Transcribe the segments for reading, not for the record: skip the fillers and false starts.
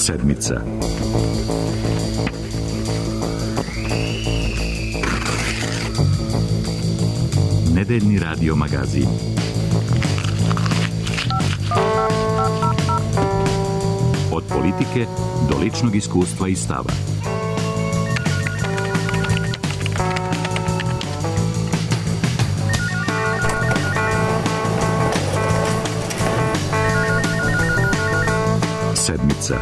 Sedmica. Nedeljni radio magazin. Od politike do ličnog iskustva i stava. Sedmica.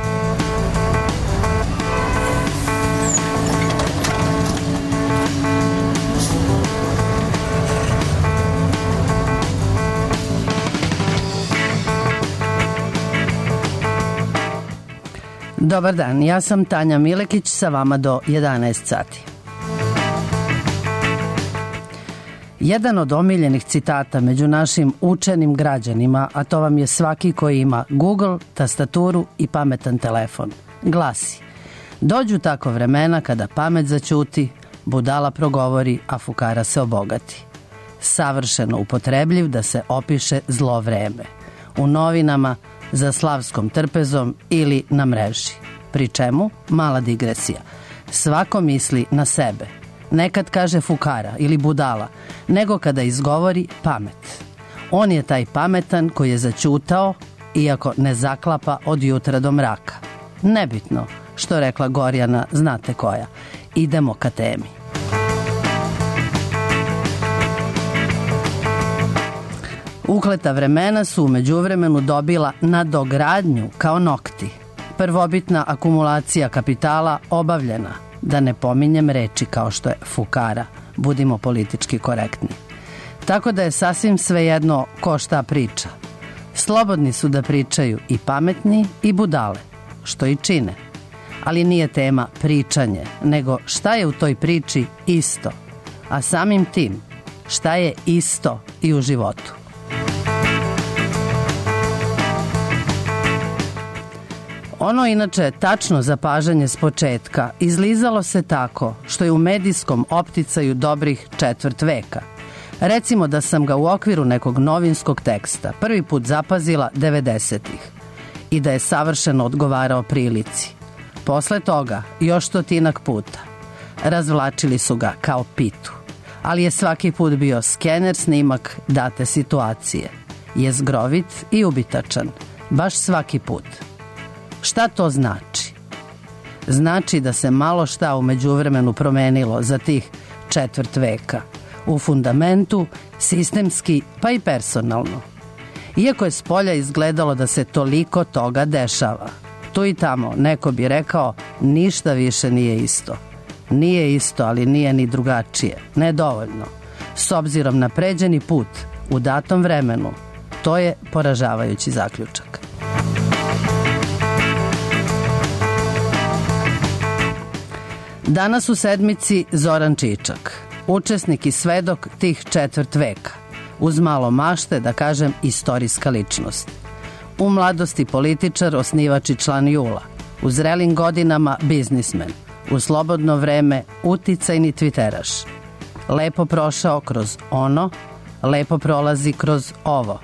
Dobar dan, ja sam Tanja Milekić, sa vama do 11 sati. Jedan od omiljenih citata među našim učenim građanima, a to vam je svaki koji ima Google, tastaturu i pametan telefon, glasi: dođu tako vremena kada pamet zaćuti, budala progovori, a fukara se obogati. Savršeno upotrebljiv da se opiše zlo vreme. U novinama, za slavskom trpezom ili na mreži. Pri čemu, mala digresija, svako misli na sebe. Nekad kaže fukara ili budala, nego kada izgovori pamet. On je taj pametan koji je zaćutao, iako ne zaklapa od jutra do mraka. Nebitno, što rekla Gorjana, znate koja. Idemo ka temi. Ukleta vremena su u međuvremenu dobila nadogradnju kao nokti. Prvobitna akumulacija kapitala obavljena, da ne pominjem reči kao što je fukara, budimo politički korektni. Tako da je sasvim svejedno ko šta priča. Slobodni su da pričaju i pametni i budale, što i čine. Ali nije tema pričanje, nego šta je u toj priči isto, a samim tim šta je isto i u životu. Ono inače tačno zapažanje s početka izlizalo se tako što je u medijskom opticaju dobrih četvrt veka. Recimo da sam ga u okviru nekog novinskog teksta prvi put zapazila 90-ih i da je savršeno odgovarao prilici. Posle toga još stotinak puta. Razvlačili su ga kao pitu, ali je svaki put bio skener snimak date situacije. Je zgrovit i ubitačan, baš svaki put. Šta to znači? Znači da se malo šta u međuvremenu promenilo za tih četvrt veka. U fundamentu, sistemski, pa i personalno. Iako je spolja izgledalo da se toliko toga dešava, tu i tamo neko bi rekao ništa više nije isto. Nije isto, ali nije ni drugačije. Nedovoljno. S obzirom na pređeni put u datom vremenu, to je poražavajući zaključak. Danas u sedmici Zoran Čičak, učesnik i svedok tih četvrt veka, uz malo mašte, da kažem, istorijska ličnost. U mladosti političar, osnivač i član JUL-a, u zrelim godinama biznismen, u slobodno vreme uticajni tviteraš. Lepo prošao kroz ono, lepo prolazi kroz ovo.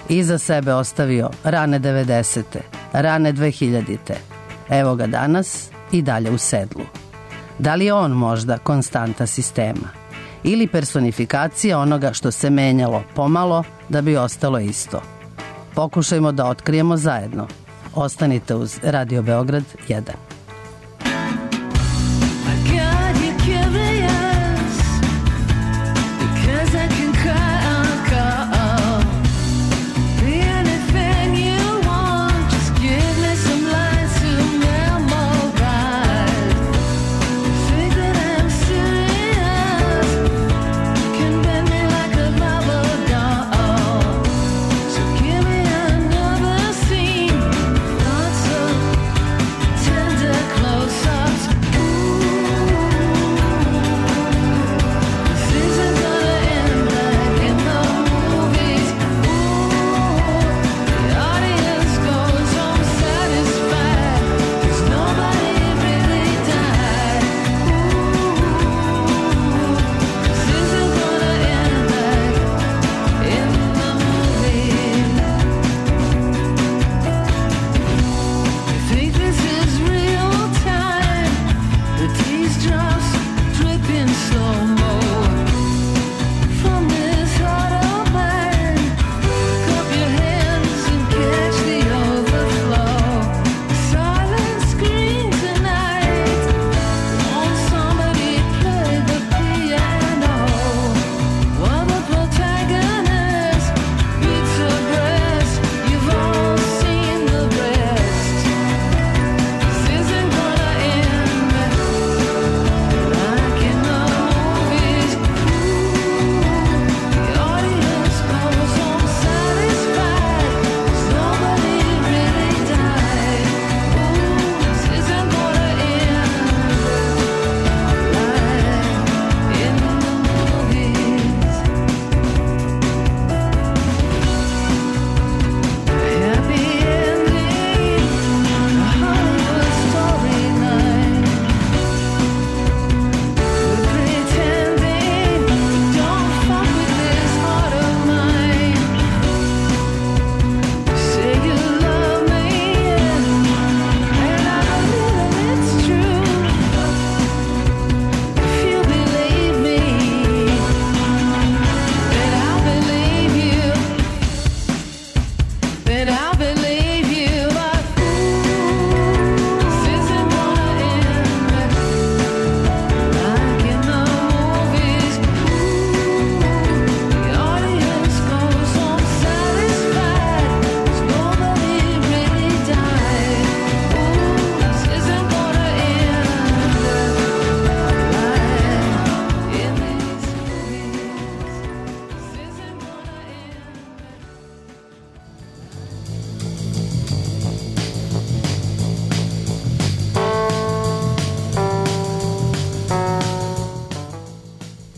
Iza sebe ostavio rane 90. rane 2000. Evo ga danas i dalje u sedlu. Da li je on možda konstanta sistema? Ili personifikacija onoga što se menjalo pomalo da bi ostalo isto? Pokušajmo da otkrijemo zajedno. Ostanite uz Radio Beograd 1. Tender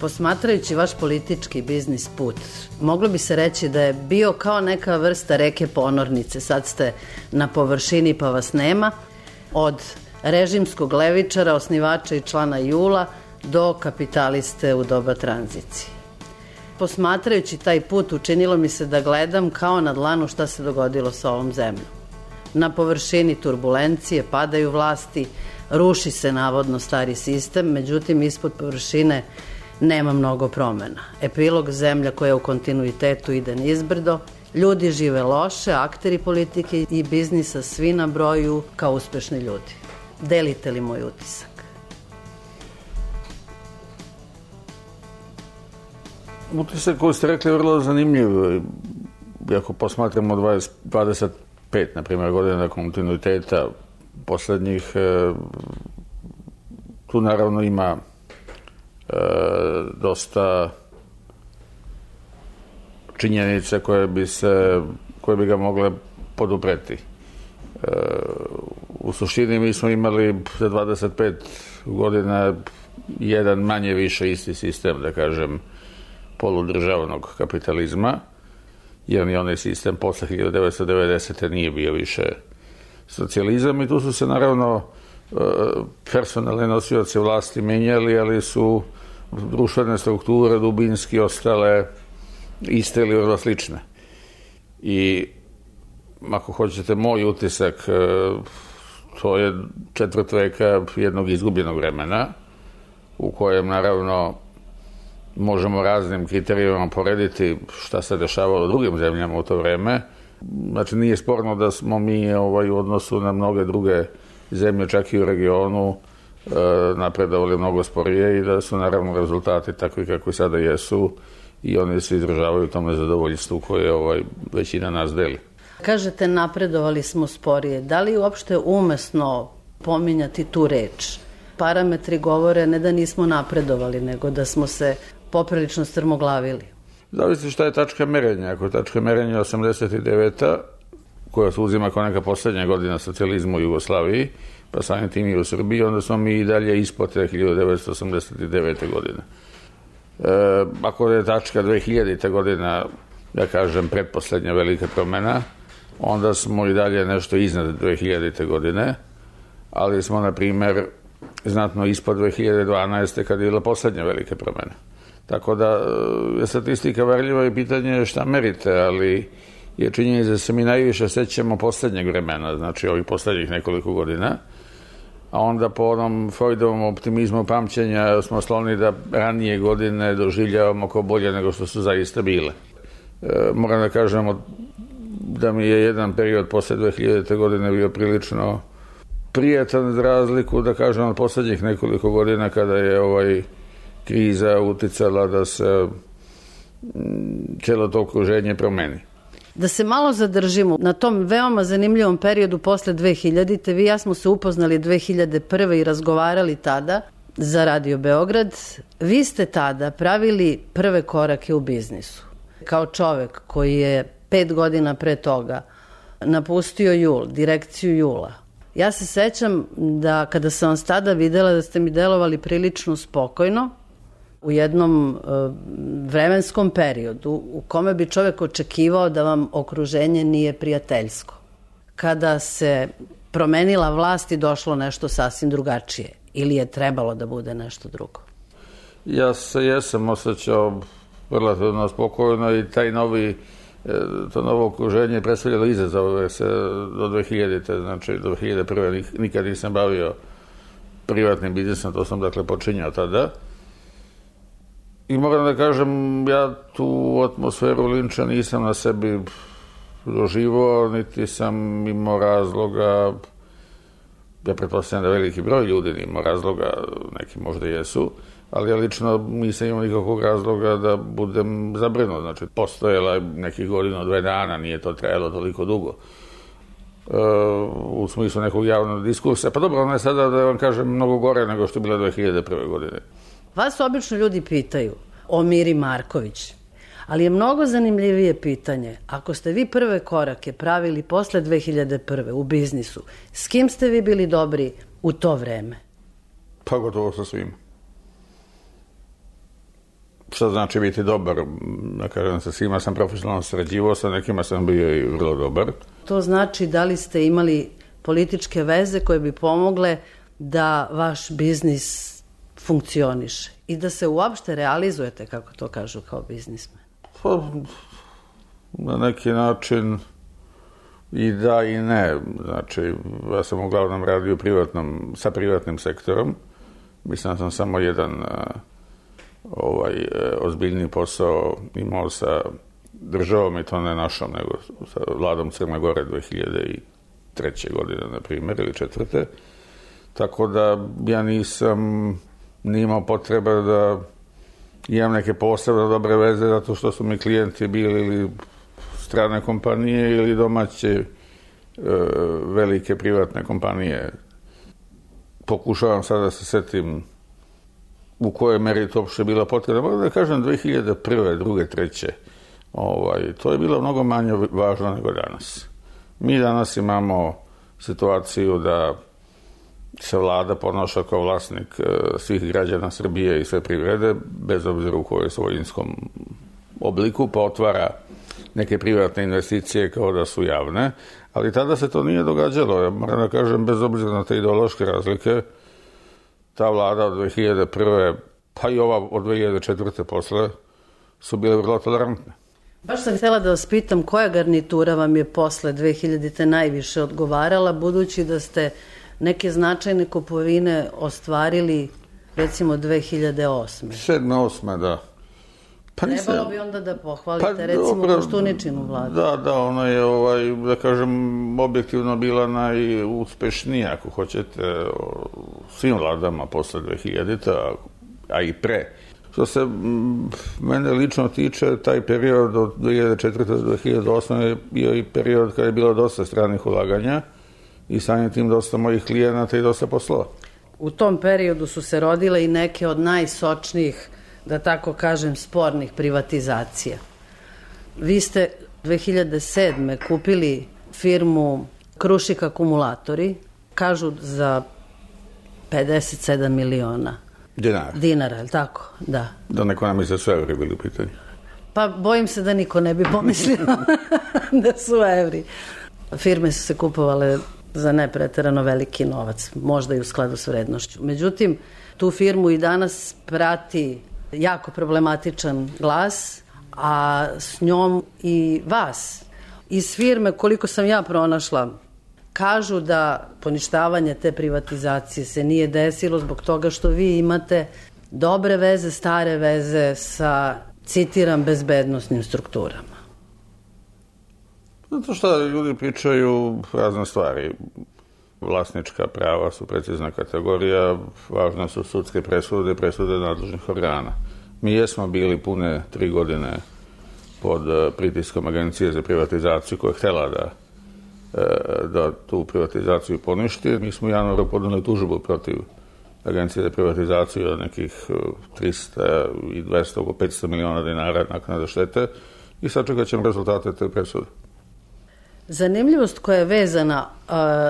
Posmatrajući vaš politički biznis put, moglo bi se reći da je bio kao neka vrsta reke ponornice. Sad ste na površini pa vas nema. Od režimskog levičara, osnivača i člana JUL-a do kapitaliste u doba tranzicije. Posmatrajući taj put, učinilo mi se da gledam kao na dlanu šta se dogodilo sa ovom zemljom. Na površini turbulencije, padaju vlasti, ruši se navodno stari sistem, međutim ispod površine nema mnogo promena. Epilog, zemlja koja u kontinuitetu ide nizbrdo, ljudi žive loše, akteri politike i biznisa svi na broju kao uspešni ljudi. Delite li moj utisak? Utisak koji ste rekli je vrlo zanimljiv. Ako posmatramo 25, na primjer, godina kontinuiteta poslednjih, tu naravno ima dosta činjenice koje bi ga mogle podupreti. U suštini mi smo imali za 25 godina jedan manje više isti sistem, da kažem, poludržavnog kapitalizma, jer ni onaj sistem posle 1990. nije bio više socijalizam i tu su se naravno personalne nosioci vlasti menjali, ali su društvene strukture dubinski ostale iste ili vrlo slične. I ako hoćete moj utisak, to je četvrt veka jednog izgubljenog vremena u kojem naravno možemo raznim kriterijima porediti šta se dešavalo u drugim zemljama u to vreme. Znači nije sporno da smo mi u odnosu na mnoge druge zemlje, čak i u regionu, napredovali mnogo sporije i da su naravno rezultati takvi kako sada jesu i oni se izražavaju u tom nezadovoljstvu koje većina nas deli. Kažete napredovali smo sporije. Da li uopšte umesno pominjati tu reč? Parametri govore ne da nismo napredovali, nego da smo se poprilično strmoglavili. Zavisi šta je tačka merenja. Ako je tačka merenja 89. koja se uzima kao neka poslednja godina socijalizma u Jugoslaviji, pa samim tim i u Srbiji, onda smo mi i dalje ispod 1989. godine. Ako je tačka 2000. godina, ja kažem, pretposlednja velika promena, onda smo i dalje nešto iznad 2000. godine, ali smo, na primer, znatno ispod 2012. kada je bila poslednja velika promena. Tako da je statistika varljiva i pitanje je šta merite, ali je činjenica da se mi najviše sećamo poslednjeg vremena, znači ovih poslednjih nekoliko godina, a onda po onom Freudovom optimizmu pamćenja smo skloni da ranije godine doživljavamo kao bolje nego što su zaista bile. Moram da kažemo da mi je jedan period posle 2000. godine bio prilično prijatan za razliku, da kažem, od poslednjih nekoliko godina kada je kriza uticala da se celo to okruženje promeni. Da se malo zadržimo na tom veoma zanimljivom periodu posle 2000. Vi i ja smo se upoznali 2001. i razgovarali tada za Radio Beograd. Vi ste tada pravili prve korake u biznisu. Kao čovek koji je 5 godina pre toga napustio JUL, direkciju JUL-a. Ja se sećam da kada sam vas tada videla da ste mi delovali prilično spokojno u jednom vremenskom periodu u kome bi čovek očekivao da vam okruženje nije prijateljsko. Kada se promenila vlast i došlo nešto sasvim drugačije ili je trebalo da bude nešto drugo? Ja se jesam osjećao relativno spokojno i to novo okruženje je predstavljalo izazove se do 2000. Znači do 2001. nikad nisam bavio privatnim biznisom, to sam dakle počinjao tada. I moram da kažem, ja tu atmosferu linča nisam na sebi doživao, niti sam imao razloga, ja pretpostavljam da veliki broj ljudi nije imao razloga, neki možda jesu, ali ja lično nisam imao nikakvog razloga da budem zabrinut. Znači, postojala nekih godina, 2 dana, nije to trajalo toliko dugo. U smislu nekog javnog diskursa. Pa dobro, ona je sada, da vam kažem, mnogo gore nego što je bila 2001. godine. Vas obično ljudi pitaju o Miri Marković, ali je mnogo zanimljivije pitanje. Ako ste vi prve korake pravili posle 2001. u biznisu, s kim ste vi bili dobri u to vreme? Pa gotovo sa svima. Šta znači biti dobar? Da kažem, sa svima sam profesionalno sarađivao, sa nekima sam bio i vrlo dobar. To znači da li ste imali političke veze koje bi pomogle da vaš biznis funkcioniše i da se uopšte realizujete, kako to kažu, kao biznismen? Pa, na neki način i da i ne. Znači, ja sam uglavnom radio sa privatnim sektorom. Mislim da sam samo jedan ozbiljni posao imao sa državom, i to ne našom, nego sa vladom Crne Gore 2003. godine, na primjer, ili 2004. Tako da ja nisam imao potreba da imam neke posebne dobre veze, zato što su mi klijenti bili ili strane kompanije ili domaće velike privatne kompanije. Pokušavam sada da se setim u kojoj meri to uopšte bila potreba. Mogu da kažem 2001. 2. 3. To je bilo mnogo manje važno nego danas. Mi danas imamo situaciju da se vlada ponaša kao vlasnik svih građana Srbije i sve privrede, bez obzira u kojoj svojinskom obliku, pa otvara neke privatne investicije kao da su javne, ali tada se to nije događalo. Ja moram da kažem, bez obzira na te ideološke razlike, ta vlada od 2001. pa i ova od 2004. posle su bile vrlo tolerantne. Baš sam htjela da vas pitam koja garnitura vam je posle 2000. najviše odgovarala, budući da ste neke značajne kupovine ostvarili recimo 2008. 7. 8. da. Trebalo bi onda da pohvalite recimo Koštuničinu vladu. Da, ona je, da kažem, objektivno bila najuspešnija, ako hoćete, svim vladama posle 2000. a i pre. Što se mene lično tiče, taj period od 2004. do 2008. je bio i period kada je bilo dosta stranih ulaganja i samim tim dosta mojih klijenata i dosta poslova. U tom periodu su se rodile i neke od najsočnijih, da tako kažem, spornih privatizacija. Vi ste 2007. kupili firmu Krušik akumulatori, kažu za 57 miliona dinara, je li tako? Da. Da neko nam je sve evri bili u pitanju. Pa bojim se da niko ne bi pomislio da su evri. Firme su se kupovale za nepreterano veliki novac, možda i u skladu s vrednošću. Međutim, tu firmu i danas prati jako problematičan glas, a s njom i vas. Iz firme, koliko sam ja pronašla, kažu da poništavanje te privatizacije se nije desilo zbog toga što vi imate dobre veze, stare veze sa, citiram, bezbednosnim strukturama. Zato što ljudi pričaju razne stvari. Vlasnička prava su precizna kategorija, važne su sudske presude nadležnih organa. Mi jesmo bili pune 3 godine pod pritiskom Agencije za privatizaciju koja je htjela da tu privatizaciju poništi. Mi smo u januaru podneli tužbu protiv Agencije za privatizaciju od nekih 300 i 200, oko 500 miliona dinara naknade štete i sačekat ćemo rezultate te presude. Zanimljivost koja je vezana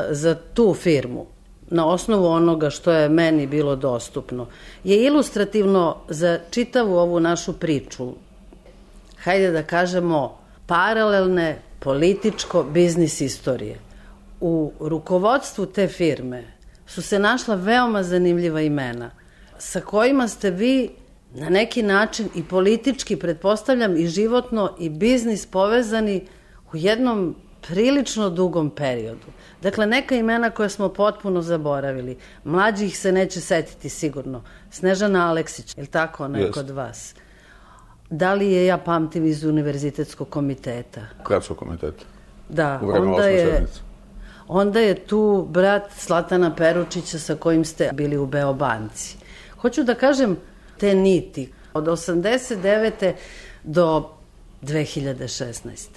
za tu firmu, na osnovu onoga što je meni bilo dostupno, je ilustrativno za čitavu ovu našu priču. Hajde da kažemo paralelne političko-biznis istorije. U rukovodstvu te firme su se našla veoma zanimljiva imena sa kojima ste vi na neki način i politički, pretpostavljam, i životno i biznis povezani u jednom prilično dugom periodu. Dakle, neka imena koja smo potpuno zaboravili. Mlađi ih se neće setiti sigurno. Snežana Aleksić, je li tako ona je kod vas? Da li je, ja pamtim, iz univerzitetskog komiteta? Gradskog komiteta. Da, u vreme osme sedmice. Onda je tu brat Zlatana Peručića sa kojim ste bili u Beobanci. Hoću da kažem te niti od 89. do 2016.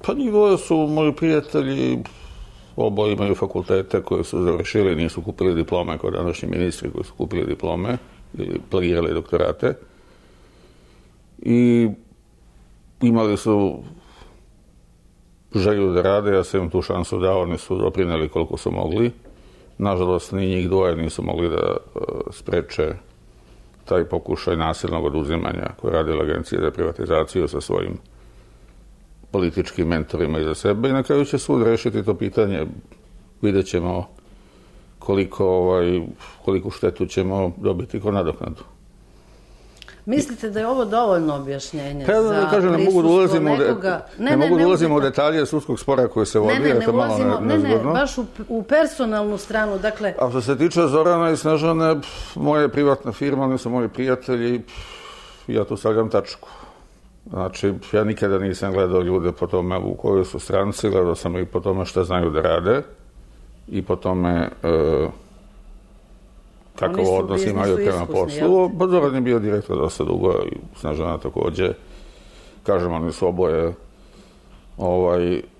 Pa njih dvoje su moji prijatelji, oboje imaju fakultete koje su završili, nisu kupili diplome kao današnji ministri koji su kupili diplome ili plagirali doktorate. I imali su želju da rade, ja sam im tu šansu dao, oni su doprineli koliko su mogli. Nažalost, ni njih dvoje nisu mogli da spreče taj pokušaj nasilnog oduzimanja koje je radila Agencija za privatizaciju sa svojim političkim mentorima iza sebe i na kraju će sud rešiti to pitanje. Vidjet ćemo koliko štetu ćemo dobiti ko nadoknadu. Mislite da je ovo dovoljno objašnjenje za prisustvo nekoga? Ne mogu da ulazimo u detalje sudskog spora koje se vodi. Ne, baš u personalnu stranu. Dakle... A što se tiče Zorana i Snežane, moja privatna firma, oni su moji prijatelji, ja tu stavljam tačku. Znači, ja nikada nisam gledao ljude po tome u kojoj su stranci, gledao sam i po tome šta znaju da rade i po tome kakav odnos imaju prema poslu. Pa Zoran je bio direktor dosta dugo i Snežana takođe. Kažem, oni su oboje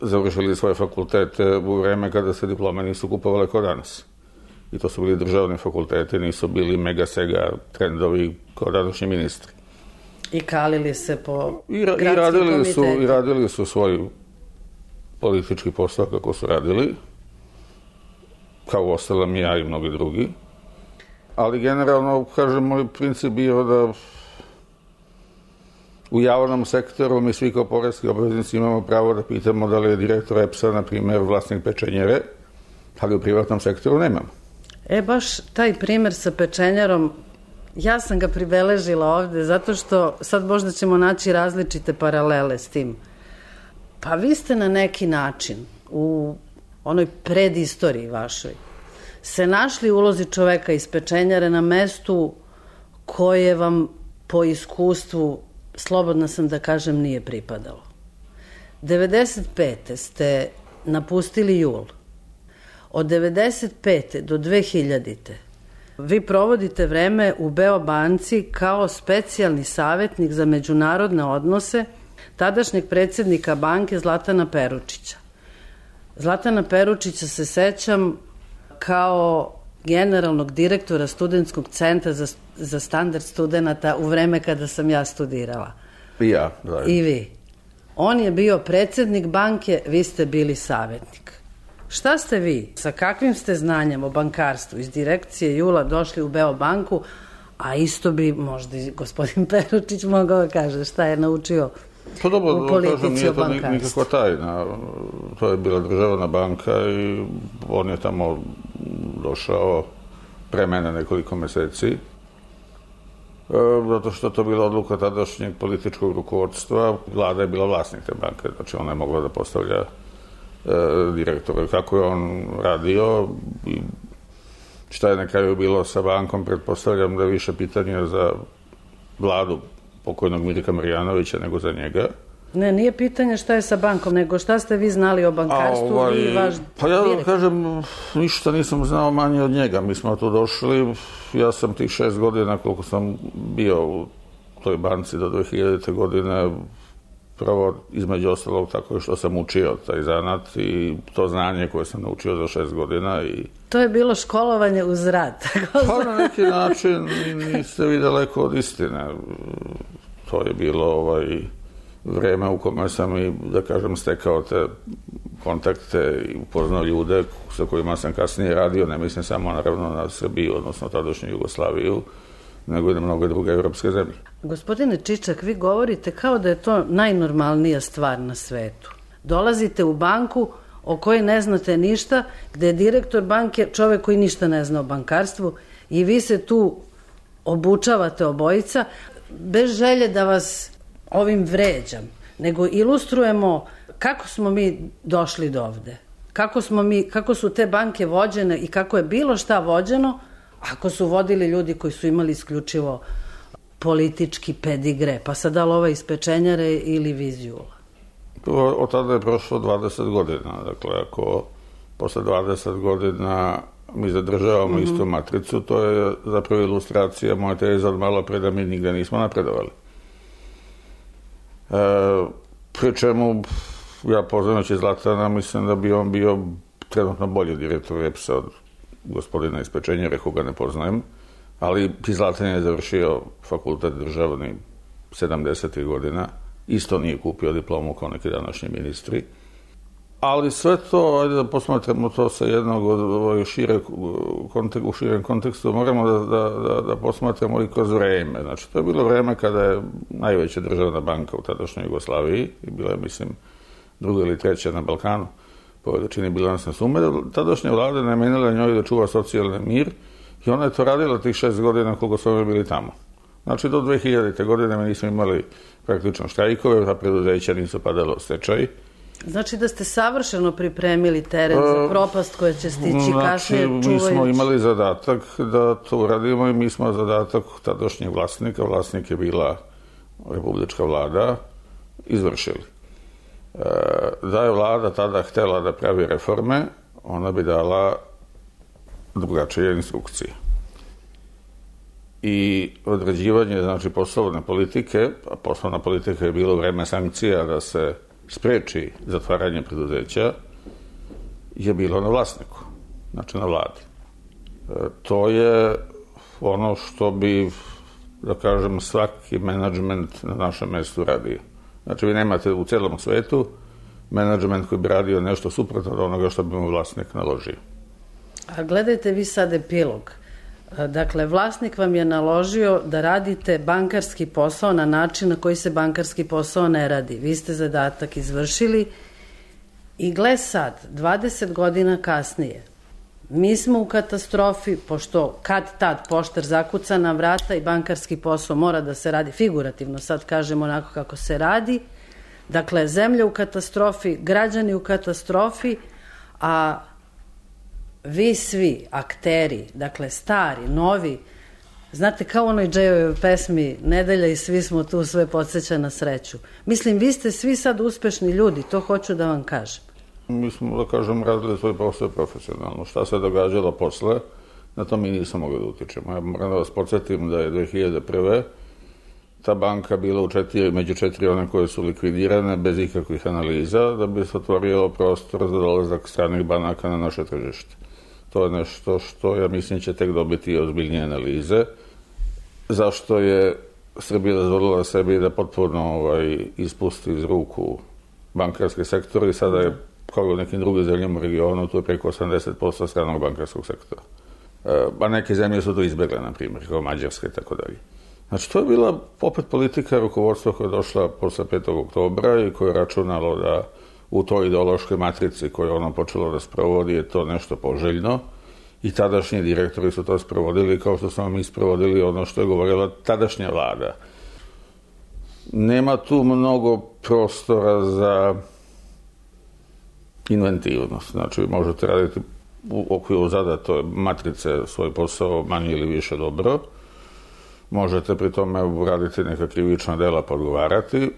završili svoje fakultete u vreme kada se diplome nisu kupovale kao danas. I to su bili državni fakulteti, nisu bili mega sega trendovi kao današnji ministri. I kalili se po gradskim komitetima. I radili su svoj politički posao kako su radili, kao ostalom i ja i mnogi drugi. Ali generalno, kažem, moj princip bio da u javnom sektoru mi svi kao poreski obveznici imamo pravo da pitamo da li je direktor EPS-a, na primjer, vlasnik pečenjere, ali u privatnom sektoru nemamo. Baš taj primer sa pečenjarom, ja sam ga pribeležila ovde, zato što sad možda ćemo naći različite paralele s tim. Pa vi ste na neki način u onoj predistoriji vašoj se našli u ulozi čoveka iz pečenjare na mestu koje vam po iskustvu, slobodna sam da kažem, nije pripadalo. 95. ste napustili JUL. Od 95. do 2000. vi provodite vreme u Beobanci kao specijalni savjetnik za međunarodne odnose tadašnjeg predsjednika banke Zlatana Peručića. Zlatana Peručića se sećam kao generalnog direktora Studentskog centra za standard studenata u vreme kada sam ja studirala. I ja, da. I vi. On je bio predsjednik banke, vi ste bili savjetnik. Šta ste vi, sa kakvim ste znanjem o bankarstvu iz direkcije JUL-a došli u Beobanku, a isto bi možda i gospodin Peručić mogao da kaže šta je naučio u politici o bankarstvu? Nije to nikakva tajna. To je bila državna banka i on je tamo došao pre mene nekoliko meseci, zato što to bila odluka tadašnjeg političkog rukovodstva. Vlada je bila vlasnik te banke, znači ona je mogla da postavlja direktora. Kako je on radio i šta je na kraju bilo sa bankom, pretpostavljam da je više pitanje za vladu pokojnog Mirka Marjanovića nego za njega. Ne, nije pitanje šta je sa bankom, nego šta ste vi znali o bankarstvu i vaš direktor. Pa ja kažem, ništa nisam znao manje od njega. Mi smo tu došli, ja sam tih 6 godina koliko sam bio u toj banci do 2000. godine, prvo između ostalog tako što sam učio taj zanat i to znanje koje sam naučio za 6 godina. To je bilo školovanje uz rad. Pa na neki način niste vi daleko od istine. To je bilo vreme u kome sam i, da kažem, stekao te kontakte i upoznao ljude sa kojima sam kasnije radio, ne mislim samo naravno na Srbiju, odnosno tadašnju Jugoslaviju, nego i na mnoge druge evropske zemlje. Gospodine Čičak, vi govorite kao da je to najnormalnija stvar na svetu. Dolazite u banku o kojoj ne znate ništa, gde je direktor banke čovek koji ništa ne zna o bankarstvu i vi se tu obučavate obojica, bez želje da vas ovim vređam, nego ilustrujemo kako smo mi došli do ovde. Kako su te banke vođene i kako je bilo šta vođeno, ako su vodili ljudi koji su imali isključivo politički pedigre, pa sad da li ova iz pečenjare ili vi iz JUL-a? Od tada je prošlo 20 godina. Dakle, ako posle 20 godina mi zadržavamo istu matricu, to je zapravo ilustracija moja teza od malo pre da mi nigde nismo napredovali. Pri čemu ja poznajući Zlatana, mislim da bi on bio trenutno bolji direktor EPS-a od gospodina iz Pečenjere, koga ne poznajem, ali Zlatan je završio fakultet državni 70. godina, isto nije kupio diplomu kao neki današnji ministri. Ali sve to, ajde da posmatramo to sa jednog u širem kontekstu, moramo da posmatramo i kroz vreme. Znači, to je bilo vreme kada je najveća državna banka u tadašnjoj Jugoslaviji, i bila je, mislim, druga ili treća na Balkanu, po veličini bilansne sume, tadašnja vlada namenila njoj da čuva socijalni mir i ona je to radila tih 6 godina koliko su oni bili tamo. Znači, do 2000. godine mi nismo imali praktično štrajkove, a preduzeća nisu padalo u stečaj. Znači da ste savršeno pripremili teren za propast koja će stići kasnije čuvajući. Mi smo imali zadatak da to uradimo i mi smo zadatak tadašnjeg vlasnika, vlasnik je bila republička vlada, izvršili. Da je vlada tada htela da pravi reforme, ona bi dala drugačije instrukcije. I određivanje, znači, poslovne politike, a poslovna politika je bilo vreme sankcija da se spreči zatvaranje preduzeća, je bilo na vlasniku, znači na vladi. To je ono što bi, da kažem, svaki menadžment na našem mestu radio. Znači, vi nemate u celom svetu menadžment koji bi radio nešto suprotno od onoga što bi mu vlasnik naložio. A gledajte vi sad epilog. Dakle, vlasnik vam je naložio da radite bankarski posao na način na koji se bankarski posao ne radi. Vi ste zadatak izvršili i gle sad, 20 godina kasnije, mi smo u katastrofi, pošto kad tad poštar zakuca na vrata i bankarski posao mora da se radi, figurativno sad kažemo onako kako se radi, dakle, zemlja u katastrofi, građani u katastrofi, a vi svi, akteri, dakle stari, novi, znate kao u onoj Džejovoj pesmi Nedelja i svi smo tu, sve podsjeća na sreću. Mislim, vi ste svi sad uspešni ljudi, to hoću da vam kažem. Mi smo, da kažem, radili svoj posao profesionalno. Šta se događalo posle, na to mi nismo mogli da utičemo. Ja moram da vas podsjetim da je 2001. ta banka bila među 4 one koje su likvidirane bez ikakvih analiza, da bi se otvorio prostor za dolazak stranih banaka na naše tržište. To je nešto što, ja mislim, će tek dobiti ozbiljnije analize. Zašto je Srbija dozvolila sebi da potpuno ispusti iz ruku bankarski sektor i sada je, kao u nekim drugim zemljama u regionu, tu je preko 80% stranog bankarskog sektora. A neke zemlje su to izbjegle, na primjer, kao Mađarska i tako dalje. Znači, to je bila opet politika rukovodstva koja je došla posle 5. oktobra i koja je računalo da u toj ideološkoj matrici koju je ono počelo da sprovodi je to nešto poželjno i tadašnji direktori su to sprovodili kao što smo mi sprovodili ono što je govorila tadašnja vlada. Nema tu mnogo prostora za inventivnost. Znači, možete raditi u okviru zadate matrice svoj posao manje ili više dobro. Možete pri tome uraditi neka krivična dela pa odgovarati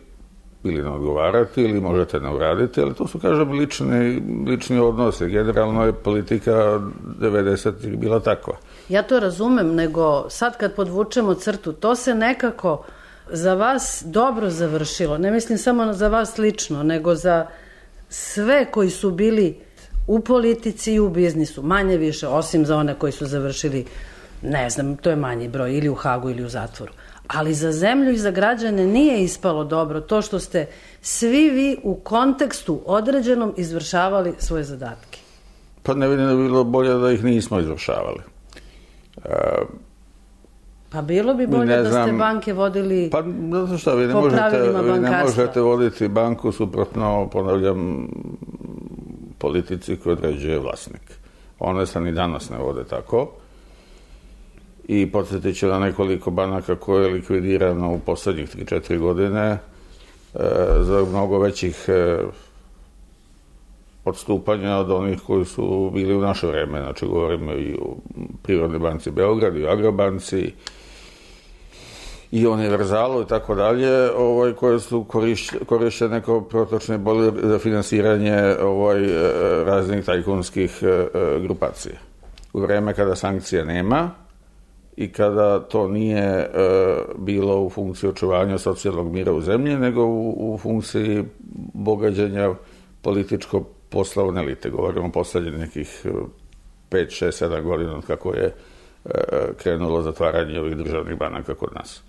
ili ne odgovarati, ili možete ne uraditi, ali to su, kažem, lični odnosi. Generalno je politika 90-ih bila takva. Ja to razumem, nego sad kad podvučemo crtu, to se nekako za vas dobro završilo. Ne mislim samo za vas lično, nego za sve koji su bili u politici i u biznisu, manje više, osim za one koji su završili, ne znam, to je manji broj, ili u Hagu ili u zatvoru. Ali za zemlju i za građane nije ispalo dobro to što ste svi vi u kontekstu određenom izvršavali svoje zadatke. Pa ne vidim da bi bilo bolje da ih nismo izvršavali. Pa bilo bi bolje da ste banke vodili po pravilima bankarstva. Vi ne možete voditi banku suprotno, ponavljam, politici koju određuje vlasnik. One se ni danas ne vode tako. I podsjetit ću na nekoliko banaka koje je likvidirano u poslednjih 3-4 godine za mnogo većih odstupanja od onih koji su bili u naše vreme. Znači, govorimo i o Privrednoj banci Beograd, i o Agrobanci, i Univerzalu i tako dalje, koje su korišćene kao protočne bojlere za finansiranje raznih tajkunskih grupacija. U vreme kada sankcija nema i kada to nije bilo u funkciji očuvanja socijalnog mira u zemlji, nego u funkciji bogađenja političko-poslovne elite. Govorimo o poslednjih nekih 5, 6, 7 godina od kako je krenulo zatvaranje ovih državnih banaka kod nas.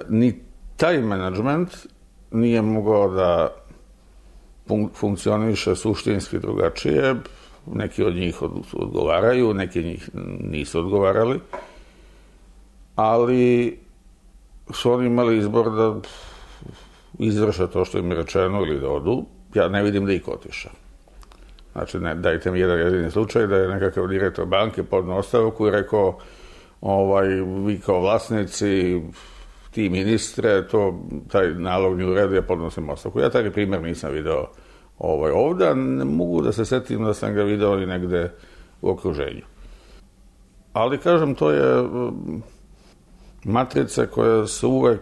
Ni taj menadžment nije mogao da funkcioniše suštinski drugačije. Neki od njih odgovaraju, neki od njih nisu odgovarali, ali su oni imali izbor da izvrše to što im je rečeno ili da odu. Ja ne vidim da ih otišao. Znači, dajte mi jedan jedini slučaj da je nekakav direktor banke podneo ostavku i rekao vi kao vlasnici, ti ministre, taj nalog mi u redu, ja podnosim ostavku. Ja taj primjer nisam video ovdje, ne mogu da se setim da sam ga video i negde u okruženju. Ali, kažem, to je matrica koja se uvek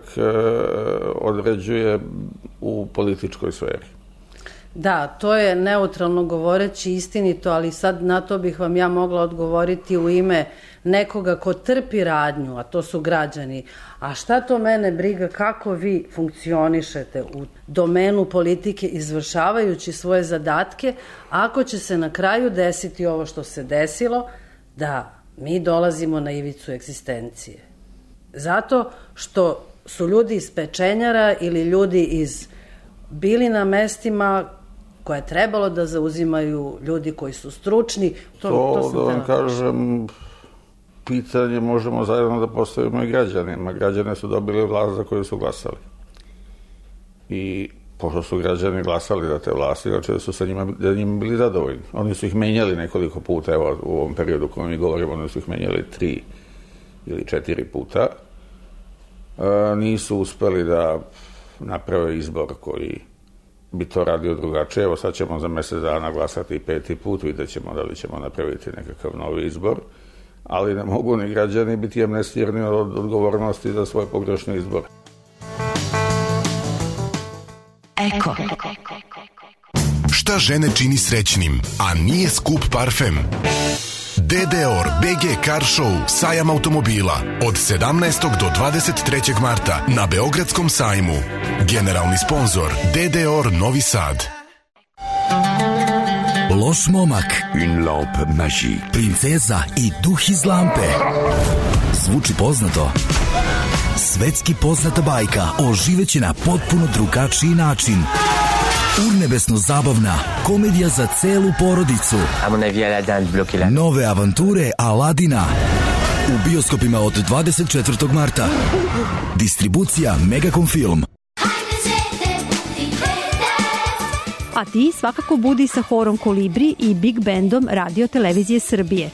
određuje u političkoj sferi. Da, to je neutralno govoreći istinito, ali sad na to bih vam ja mogla odgovoriti u ime nekoga ko trpi radnju, a to su građani. A šta to mene briga kako vi funkcionišete u domenu politike izvršavajući svoje zadatke, ako će se na kraju desiti ovo što se desilo, da mi dolazimo na ivicu egzistencije. Zato što su ljudi iz pečenjara ili ljudi bili na mestima koje je trebalo da zauzimaju ljudi koji su stručni. To da vam kažem, pitanje možemo zajedno da postavimo i građanima. Građane su dobili vlast za koju su glasali. I pošto su građani glasali za te vlasti, znači da su sa njima bili zadovoljni. Oni su ih menjali nekoliko puta, evo u ovom periodu u kojem mi govorimo, oni su ih menjali 3 ili 4 puta. Nisu uspeli da naprave izbor koji bi to radio drugačije. Evo sad ćemo za mesec dana glasati 5. put, vidjet ćemo da li ćemo napraviti nekakav novi izbor, ali ne mogu ni građani biti amnestirani od odgovornosti za svoj pogrešni izbor. Eko. Šta žene čini srećnim, a nije skup parfem? DDOR BG Car Show, sajam automobila, od 17. do 23. marta na Beogradskom sajmu. Generalni sponzor DDOR Novi Sad. Loš momak, une lampe magique, princeza i duh iz lampe. Zvuči poznato? Svetski poznata bajka oživeće na potpuno drugačiji način. Urnebesno zabavna komedija za celu porodicu. Nove avanture Aladina u bioskopima od 24. marta. Distribucija Megacom Film. A ti svakako budi sa horom Kolibri i Big Bandom Radio Televizije Srbije.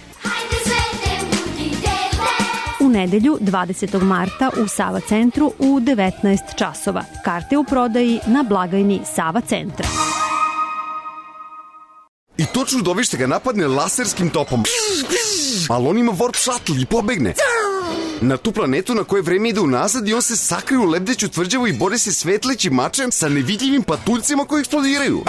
U nedelju 20. marta u Sava centru u 19 časova. Karte u prodaji na blagajni Sava centra. I to čudovište ga napadne laserskim topom. Ali on ima warp shuttle i pobegne. Na tu planetu na koje vreme ide unazad i on se sakrije u lebdeću tvrđavu i bori se svetlećim mačem sa nevidljivim patuljcima koji eksplodiraju.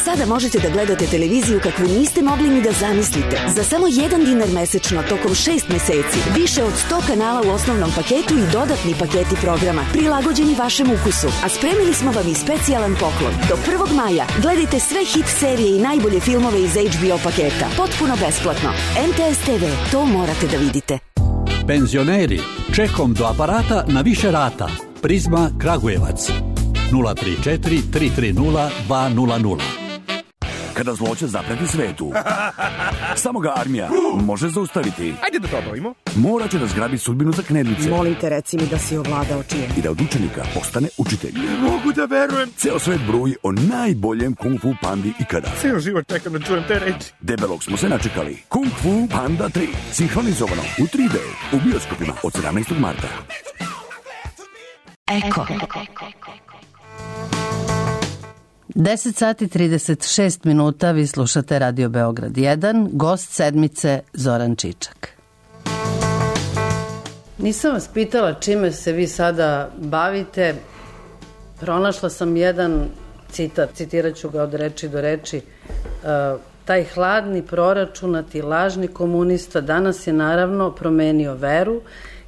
Sada možete da gledate televiziju kakvu niste mogli ni da zamislite. Za samo $1 mesečno tokom 6 meseci. Više od 100 kanala u osnovnom paketu i dodatni paketi programa prilagođeni vašem ukusu. A spremili smo vam i specijalan poklon. Do 1. maja gledajte sve hit serije i najbolje filmove iz HBO paketa. Potpuno besplatno. MTS TV, to morate da vidite. Penzioneri, čekom do aparata na više rata. Prizma Kragujevac 034 330 200. Kada zloće zapreti svetu, samo ga armija može zaustaviti. Ajde da to obavimo. Mora će da zgrabi sudbinu za knedlice. Molim te, reci mi da si ovladao čijem. I da od učenika postane učitelj. Ne mogu da verujem. Ceo svet bruji o najboljem Kung Fu Pandi ikada. Ceo život čekam da čujem te reči. Debelog smo se načekali. Kung Fu Panda 3. Sinhronizovano u 3D. U bioskopima od 17. marta. Eko. 10 sati 36 minuta, vi slušate Radio Beograd 1, gost sedmice Zoran Čičak. Nisam vas pitala čime se vi sada bavite. Pronašla sam jedan citat, citirat ću ga od reči do reči. Taj hladni, proračunati, lažni komunista danas je naravno promenio veru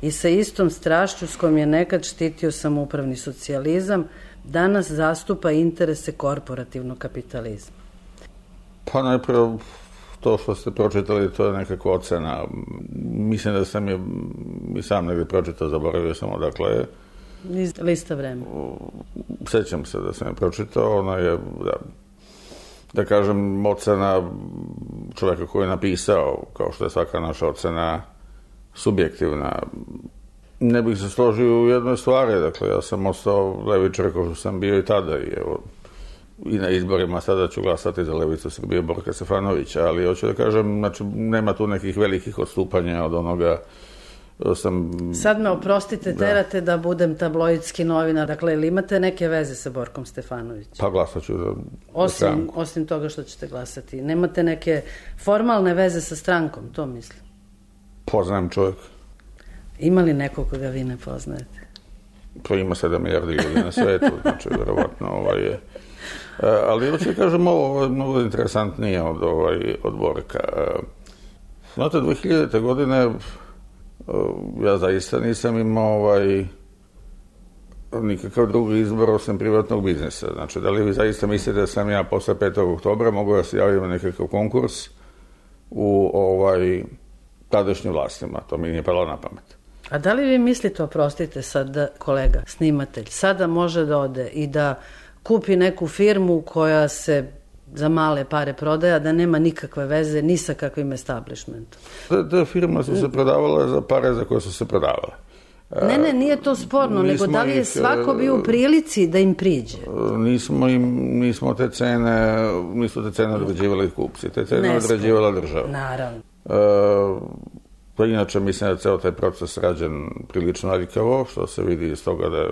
i sa istom strašću s kojom je nekad štitio samoupravni socijalizam, danas zastupa interese korporativnog kapitalizma. Pa najprije to što ste pročitali, to je nekakva ocena. Mislim da sam je i sam negdje pročitao, zaboravio sam odakle je. Iz lista Vremena. Sećam se da sam je pročitao, ona je, da kažem, ocena čovjeka koji je napisao, kao što je svaka naša ocena subjektivna. Ne bih se složio u jednoj stvari, dakle, ja sam ostao levičar kao što sam bio i tada i evo, i na izborima sada ću glasati za Levicu Srbije Borka Stefanovića, ali hoću da kažem, znači, nema tu nekih velikih odstupanja od onoga sam... Sad me oprostite, terate da budem tabloidski novinar, dakle, ili imate neke veze sa Borkom Stefanovićem? Pa glasat ću za stranku. Osim toga što ćete glasati. Nemate neke formalne veze sa strankom, to mislim? Poznajem čovjek. Ima li nekog koga vi ne poznajete? Pa ima 7 milijardi ljudi na svetu, znači, verovatno je... Ali hoću da kažem, ovo je mnogo interesantnije od Borka. Znate, 2000. godine ja zaista nisam imao nikakav drugi izbor osim privatnog biznisa. Znači, da li vi zaista mislite da sam ja posle 5. oktobra mogu da se javim na nekakav konkurs u tadašnjim vlastima? To mi nije palo na pamet. A da li vi mislite, oprostite sad, kolega, snimatelj, sada može da ode i da kupi neku firmu koja se za male pare prodaja, da nema nikakve veze ni sa kakvim establishmentom? Te firme su se prodavale za pare za koje su se prodavale. Ne, nije to sporno, nego da li je svako bio u prilici da im priđe? Nismo te cene određivali kupci, te cene određivala država. Naravno. Pa inače mislim da je ceo taj proces rađen prilično aljkavo, što se vidi iz toga da je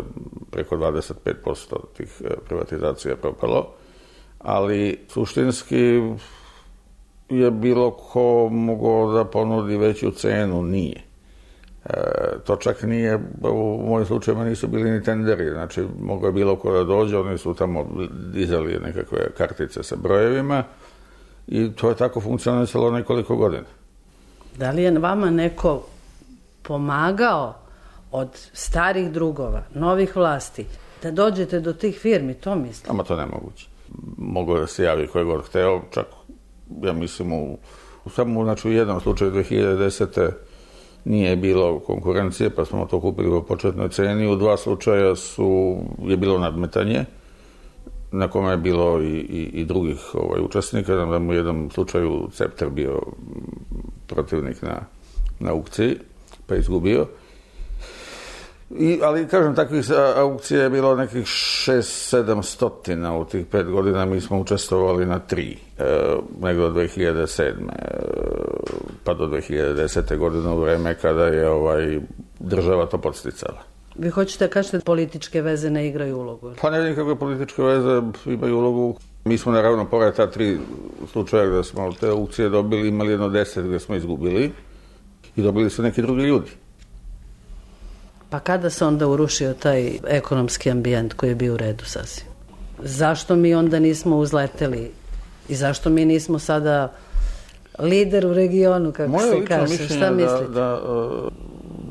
preko 25% tih privatizacija propalo, ali suštinski je bilo ko mogao da ponudi veću cenu, nije. To čak nije, u mojim slučajima nisu bili ni tenderi, znači mogao je bilo ko da dođe, oni su tamo dizali nekakve kartice sa brojevima i to je tako funkcionisalo nekoliko godina. Da li je vama neko pomagao od starih drugova, novih vlasti, da dođete do tih firmi, to mislim? Ama to nemoguće. Mogao da se javi koje god hteo, čak, ja mislim, samo znači, u jednom slučaju 2010. nije bilo konkurencije, pa smo to kupili po početnoj ceni. U 2 slučaja je bilo nadmetanje, na kome je bilo i drugih učesnika. Da mu u jednom slučaju Cepter bio protivnik na aukciji, pa izgubio. Ali, kažem, takvih aukcija je bilo nekih 600-700 u tih 5 godina. Mi smo učestvovali na 3, negdje od 2007. pa do 2010. godine, u vreme kada je država to podsticala. Vi hoćete da kažete da političke veze ne igraju ulogu? Pa ne, nikakve političke veze imaju ulogu. Mi smo naravno, pored ta 3 slučaja gde smo te aukcije dobili, imali jedno 10 gde smo izgubili i dobili su neki drugi ljudi. Pa kada se onda urušio taj ekonomski ambijent koji je bio u redu sasvim? Zašto mi onda nismo uzleteli i zašto mi nismo sada lider u regionu, kako se kaže? Šta mislite?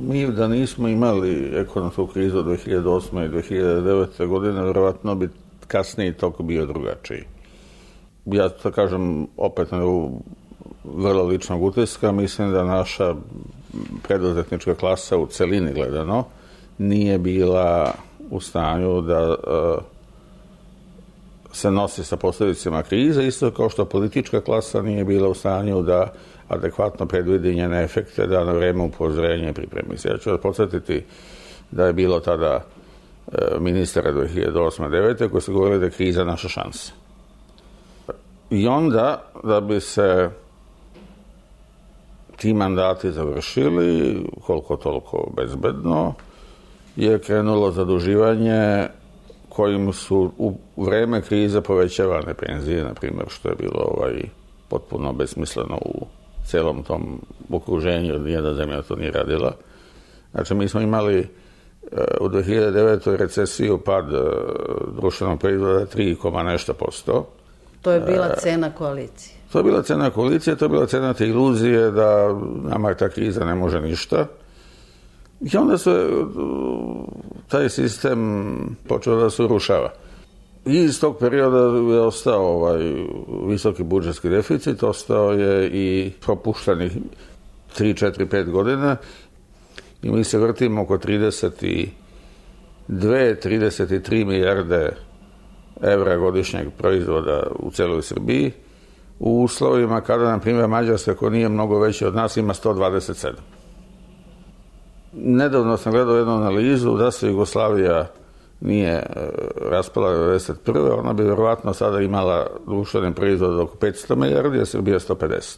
Mi da nismo imali ekonomsku krizu od 2008. i 2009. godine, verovatno bi kasniji tok bio drugačiji. Ja to kažem opet na vrlo ličnog utiska, mislim da naša preduzetnička klasa u celini gledano nije bila u stanju da se nosi sa posljedicama krize, isto kao što politička klasa nije bila u stanju da adekvatno predvidi njene efekte, da na vreme upozorenje i pripremi se. Ja ću vas podsjetiti da je bilo tada ministara 2008-2009 koji su govorili da je kriza naša šansa. I onda, da bi se ti mandati završili, koliko toliko bezbedno, je krenulo zaduživanje kojim su u vreme krize povećavane penzije, na primjer, što je bilo potpuno besmisleno u celom tom okruženju, nijedna zemlja to nije radila. Znači, mi smo imali u 2009. recesiju, pad društvenog proizvoda 3, nešto %. To je bila cena koalicije. To je bila cena koalicije, to je bila cena te iluzije da nama ta kriza ne može ništa. I onda se taj sistem počeo da se urušava. I iz tog perioda je ostao visoki budžetski deficit, ostao je i propuštanih 3, 4, 5 godina i mi se vrtimo oko 33 milijarde evra godišnjeg proizvoda u celoj Srbiji, u uslovima kada, na primjer, Mađarska, koja nije mnogo veća od nas, ima 127. Nedavno sam gledao jednu analizu da se Jugoslavija nije raspala 1991. Ona bi verovatno sada imala društveni proizvod oko 500 milijardi, a Srbija 150.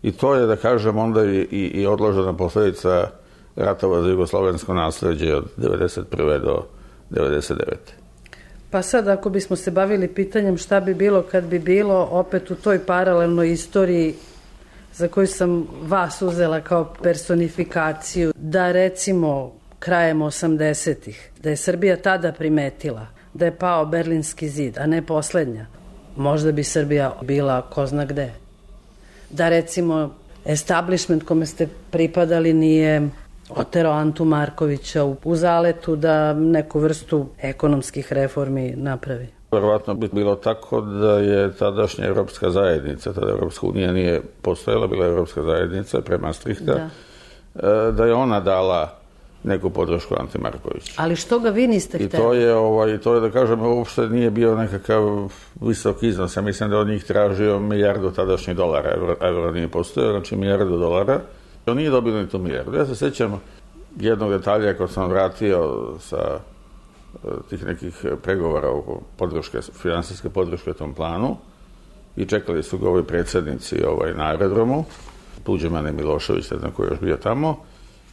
I to je, da kažem, onda i odložena posledica ratova za jugoslovensko nasleđe od 1991. do 1999. Pa sad, ako bismo se bavili pitanjem šta bi bilo kad bi bilo, opet u toj paralelnoj istoriji za koju sam vas uzela kao personifikaciju, da recimo krajem 80-ih, da je Srbija tada primetila da je pao Berlinski zid, a ne poslednja, možda bi Srbija bila ko zna gde. Da recimo establishment kome ste pripadali nije oterao Antu Markovića u zaletu da neku vrstu ekonomskih reformi napravi. Verovatno bi bilo tako da je tadašnja Evropska zajednica, tada Evropska unija nije postojala, bila je Evropska zajednica pre Maastrichta, da je ona dala neku podršku Anti Markoviću. Ali što ga vi niste hteli? I to je, da kažem, uopšte nije bio nekakav visok iznos. Ja mislim da od njih tražio milijardu tadašnjih dolara. Evro nije postojao, znači milijardu dolara. On nije dobio ni tu milijardu. Ja se sećam jednog detalja kad sam vratio sa tih nekih pregovora oko finansijske podrške tom planu i čekali su ga ovi predsjednici na aerodromu, Tuđman i Milošević, ne znam ko je još bio tamo,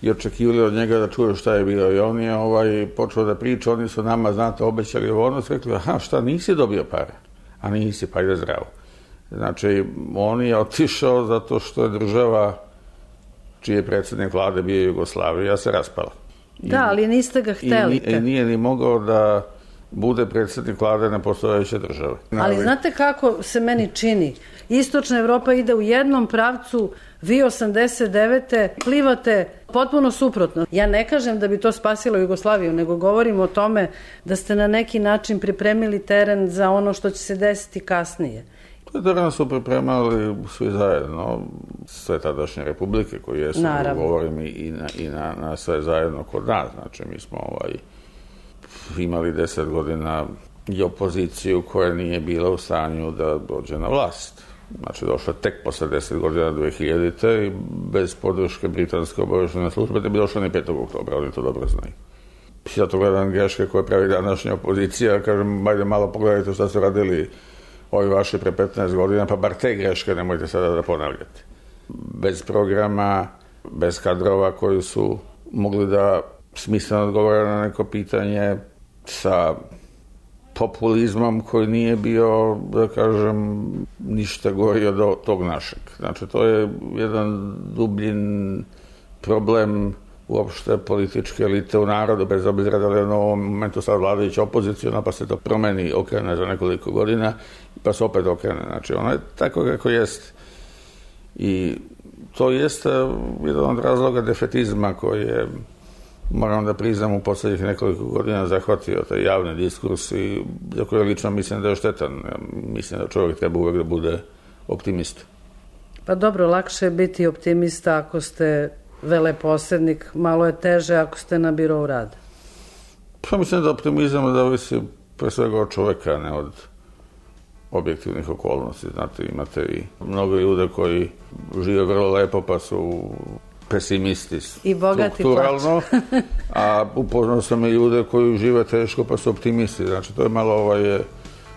i očekivali od njega da čuje šta je bilo. I on je počeo da priča, oni su nama, znate, obećali ono, rekli, aha, šta, nisi dobio pare? A nisi, pa ide zdravo. Znači, on je otišao zato što je država čiji je predsjednik vlade bio Jugoslavija, se raspala. Da, ali niste ga hteli. I nije ni mogao da bude predsjednik vlade nepostojeće države. Ali znate kako se meni čini? Istočna Evropa ide u jednom pravcu, vi 89. plivate potpuno suprotno. Ja ne kažem da bi to spasilo Jugoslaviju, nego govorim o tome da ste na neki način pripremili teren za ono što će se desiti kasnije. Teren su pripremali svi zajedno, sve tadašnje republike koje jesu, govorim i na sve zajedno kod nas. Znači, mi smo imali 10 godina i opoziciju koja nije bila u stanju da dođe na vlast. Znači, došla tek posle 10 godina 2000. i bez podrške britanske obaveštajne službe ne bi došla ni 5. oktobra, oni to dobro znaju. Ja to gledam greške koje pravi današnja opozicija, kažem, ajde malo pogledajte šta su radili ovi vaši pre 15 godina, pa bar te greške nemojte sada da ponavljate. Bez programa, bez kadrova koji su mogli da smisleno odgovore na neko pitanje, sa populizmom koji nije bio, da kažem, ništa gori od tog našeg. Znači, to je jedan dublji problem uopšte političke elite u narodu, bez obzira da je na ovom momentu sad vladajuća opozicija, pa se to promeni, okrene za nekoliko godina, pa se opet okrene. Znači, ono je tako kako jest. I to jeste jedan od razloga defetizma koji je, moram da priznam, u poslednjih nekoliko godina zahvatio taj javni diskurs i za koje lično mislim da je štetan. Mislim da čovjek treba uvek da bude optimista. Pa dobro, lakše je biti optimista ako ste veleposednik, malo je teže ako ste na birou rada. Pa mislim da optimizam zavisi pre svega od čoveka, ne od objektivnih okolnosti. Znate, imate i mnogo ljude koji žive vrlo lepo pa su pesimisti i bogati strukturalno, a upoznao sam i ljude koji žive teško pa su optimisti. Znači, to je malo